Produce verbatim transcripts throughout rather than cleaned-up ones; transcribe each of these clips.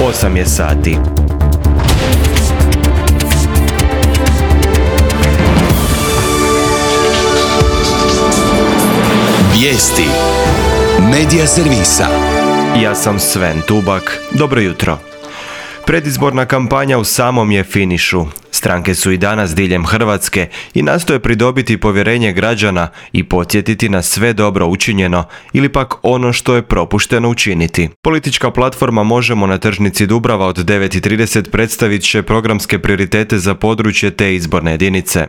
osam je sati. Vijesti Medija servisa. Ja sam Sven Tubak. Dobro jutro. Predizborna kampanja u samom je finišu. Stranke su i danas diljem Hrvatske i nastoje pridobiti povjerenje građana i podsjetiti na sve dobro učinjeno ili pak ono što je propušteno učiniti. Politička platforma Možemo na tržnici Dubrava od devet i trideset predstavit će programske prioritete za područje te izborne jedinice.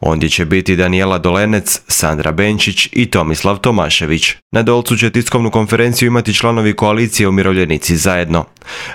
Ondje će biti Danijela Dolenec, Sandra Benčić i Tomislav Tomašević. Na Dolcu će tiskovnu konferenciju imati članovi koalicije Umirovljenici zajedno.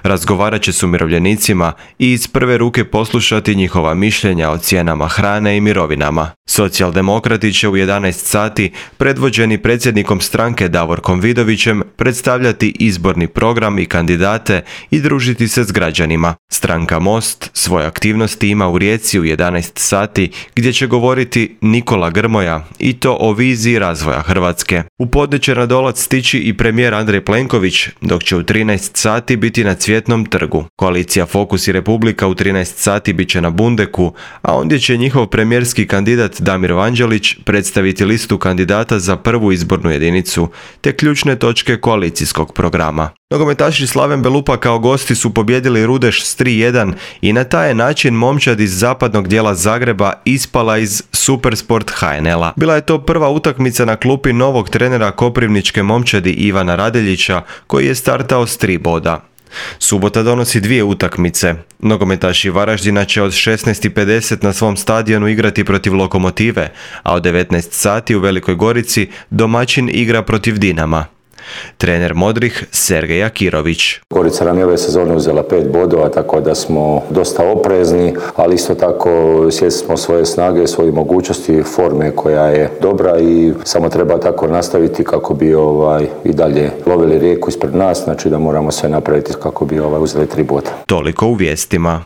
Razgovarat će s umirovljenicima i iz prve ruke poslušati njihova mišljenja o cijenama hrane i mirovinama. Socijaldemokrati će u jedanaest sati, predvođeni predsjednikom stranke Davorkom Vidovićem, predstavljati izborni program i kandidate i družiti se s građanima. Stranka Most svoje aktivnosti ima u Rijeci u jedanaest sati, gdje će govoriti Nikola Grmoja i to o viziji razvoja Hrvatske. U podne će na Dolac stići i premijer Andrej Plenković, dok će u trinaest sati biti na Cvjetnom trgu. Koalicija Fokus i Republika u trinaest sati bit će na Bundeku, a ondje će njihov premijerski kandidat Damir Vanđelić predstaviti listu kandidata za prvu izbornu jedinicu, te ključne točke koalicijskog programa. Nogometaši Slaven Belupa kao gosti su pobjedili Rudeš s tri jedan i na taj je način momčad iz zapadnog dijela Zagreba ispala iz Supersport H N L-a. Bila je to prva utakmica na klupi novog trenera koprivničke momčadi Ivana Radeljića, koji je startao s tri boda. Subota donosi dvije utakmice. Nogometaši Varaždina će od šesnaest i pedeset na svom stadionu igrati protiv Lokomotive, a od devetnaest sati u Velikoj Gorici domaćin igra protiv Dinama. Trener Modrih Sergej Akirović. Gorica nam je ove sezone uzela pet bodova, tako da smo dosta oprezni, ali isto tako svjesni smo svoje snage, svoje mogućnosti, forme koja je dobra i samo treba tako nastaviti kako bi ovaj i dalje lovili rijeku ispred nas, znači da moramo sve napraviti kako bi ovaj uzeli tri boda. Toliko u vijestima.